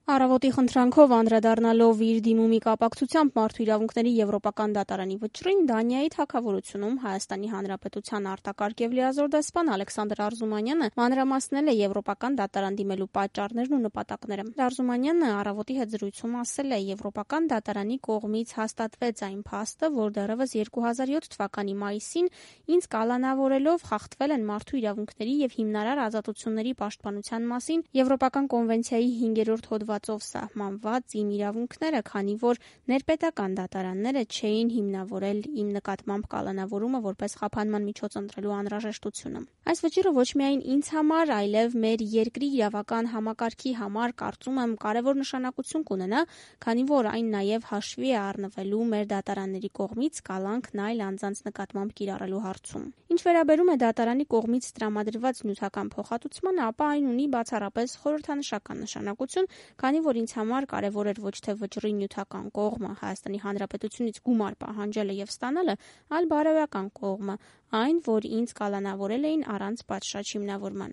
Առավոտի խնդրանքով անդրադառնալով իր դիմումի կապակցությամբ Մարդու իրավունքների եվրոպական դատարանի վճռին, Դանիայի թագավորությունում Հայաստանի Հանրապետության արտակարգ եւ լիազոր դեսպան Ալեքսանդր Արզումանյանը մանրամասնել է եվրոպական դատարան դիմելու պատճառներն ու նպատակները։ Արզումանյանը առավոտի հետ զրույցում ասել է, եվրոպական դատարանի կողմից հաստատվեց այն փաստը, որ դեռևս 2007 թվականի մայիսին ինձ կալանավորելով խախտվել են մարդու իրավունքների եւ հիմնարար ազատությունների պաշտպանության մասին Եվրոպական կոնվենցիայի 5-րդ հոդվածով սահմանված իմ իրավունքները, քանի որ ներպետական դատարանները չէին հիմնավորել իմ նկատմամբ կալանավորումը որպես խափանման միջոց ընտրելու անհրաժեշտությունը։ Այս վճիռը ոչ միայն ինձ համար, այլև մեր երկրի իրավական համակարգի համար կարծում եմ կարևոր նշանակություն կունենա, քանի որ այն նաև հաշվի է առնվելու մեր դատարանների կողմից կալանքն այլ անձանց նկատմամբ կիրառելու հարցում։ Ինչ վերաբերում է դատարանի կողմից տրամադրված նյութական փոխհատուցմանը, ապա այն ունի բացառապես խորհրդանշական նշանակություն, քանի որ ինձ համար կարևոր էր ոչ թե վճռի նյութական կողմը Հայաստանի Հանրապետությունից գումար պահանջելը եւ ստանալը, այլ բարոյական կողմը, այն, որ ինձ կալանավորել էին առանց պատշաճ հիմնավորման։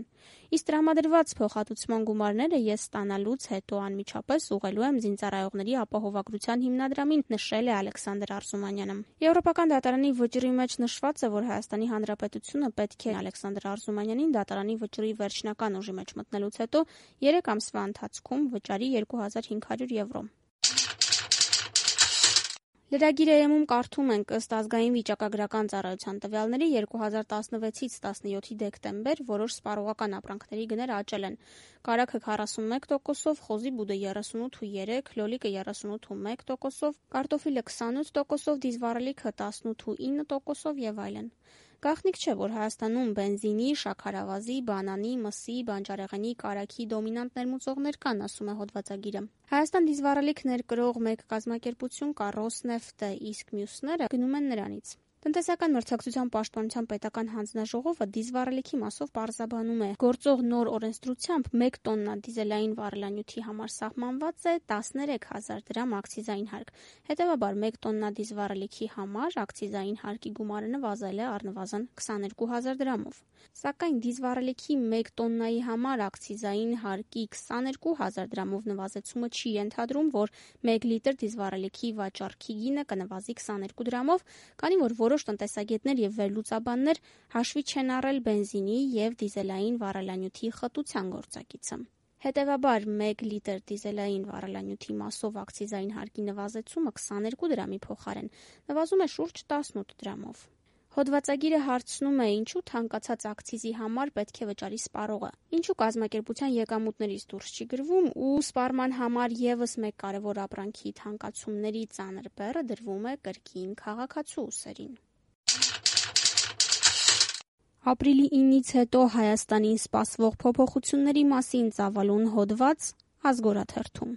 Իսկ տրամադրված փոխհատուցման գումարները ես ստանալուց հետո անմիջապես ուղղելու եմ զինծառայողների ապահովագրության հիմնադրամին, նշել է Ալեքսանդր Արզումանյանը։ Եվրոպական դատարանի վճռի մեջ նշված է, որ Հայաստանի Հանրապետությունը պետք է Ալեքսանդր Արզումանյանին դատարանի վճռի վերջնական ուժի մեջ մտնելուց հետո 3 ամսվա ընթացքում վճարի 2500 եվրո։ Լրագիր-ում կարդում ենք, ըստ ազգային վիճակագրական ծառայության տվյալների 2016-ից 17 դեկտեմբեր որոշ սպառողական ապրանքների գներ աճել են։ Կարագը 41%-ով, խոզի բուդը 38.3%, լոլիկը 38.1%-ով, կարտոֆիլը 28%-ով, դիզվառելիքը 18.9%-ով եւ այլն։ Գաղտնիք չէ, որ Հայաստանում բենզինի, շաքարավազի, բանանի, մսի, բանջարեղենի, կարագի դոմինանտ ներմուծողներ կան, ասում է հոդվածագիրը։ Հայաստան դիզվառելիք ներկրող մեկ կազմակերպություն կա Ռոսնեֆտը, իսկ մյուսները գնում են նրանից։ Տնտեսական մրցակցության պաշտպանության պետական հանձնաժողովը դիզվառելիքի մասով պարզաբանում է, գործող նոր օրենսդրությամբ 1 տոննա դիզելային վառելանյութի համար սահմանված է 13,000 դրամ ակցիզային հարկ։ Հետևաբար 1 տոննա դիզվառելիքի համար ակցիզային հարկի գումարը նվազել է առնվազն 22,000 դրամով։ Սակայն դիզվառելիքի 1 տոննայի համար ակցիզային հարկի 22,000 դրամով նվազեցումը չի ենթադրում, որ 1 լիտր դիզվառելիքի վաճառքի գինը կնվազի 22 դրամով, քանի որ որոշ տնտեսագետներ եւ վերլուծաբաններ հաշվի չեն առել բենզինի եւ դիզելային վառելանյութի խտության գործակիցը։ Հետևաբար 1 լիտր դիզելային վառելանյութի մասով ակցիզային հարկի նվազեցումը 22 դրամի փոխարեն նվազում է շուրջ 18 դրամով։ Հոդվածագիրը հարցնում է, ինչու թանկացած ակցիզի համար պետք է վճարի սպառողը, ինչու կազմակերպության եկամուտներից դուրս չի գրվում ու սպառման համար եւս մեկ կարևոր ապրանքի թանկացումների ծանր բեռը դրվում է կրկին քաղաքացու ուսերին։ Ապրիլի 9-ից հետո Հայաստանին սպասվող փոփոխությունների մասին ծավալուն հոդված Ազգորաթերթում։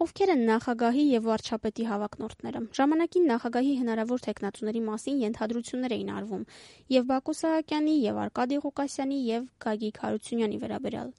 Ովքեր են նախագահի եւ վարչապետի հավակնորդները։ Ժամանակին նախագահի հնարավոր թեկնածուների մասին ենթադրություններ էին արվում եւ Բակո Սահակյանի, եւ Արկադի Ղուկասյանի, եւ Գագիկ Հարությունյանի վերաբերյալ։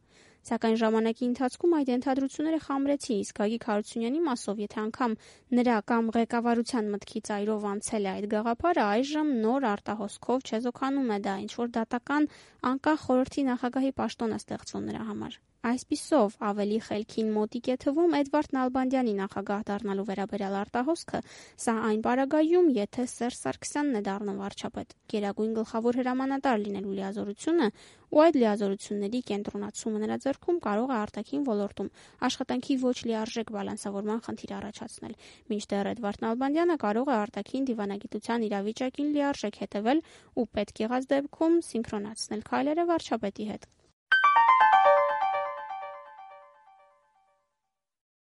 Սակայն ժամանակի ընթացքում այդ ենթադրությունները խամրեցին, իսկ Գագիկ Հարությունյանի մասով, եթե անգամ նրա կամ ղեկավարության մտքի ծայրով անցել է այդ գաղափարը, այժմ նոր արտահոսքով չեզոքանում է դա, ինչ որ դատական անկախ խորհրդի նախագահի պաշտոն է ստեղծվում նրա համար։ Այսպիսով, ավելի խելքին մոտիկ է թվում Էդվարդ Նալբանդյանի նախագահ դառնալու վերաբերյալ արտահոսքը, սա այն պարագայում, եթե Սերժ Սարգսյանն է դառնում վարչապետ, գերագույն գլխավոր հրամանատար լինելու լիազորությունը ու այդ լիազորությունների կենտրոնացումը նրա ձեռքում կարող է արտաքին ոլորտում աշխատանքի ոչ լիարժեք բալանսավորման խնդիր առաջացնել, մինչդեռ Էդվարդ Նալբանդյանը կարող է արտաքին դիվանագիտության իրավիճակին լիարժեք հետևել ու պետք եղած դեպքում սինխրոնացնել քայլերը վարչապետի հետ։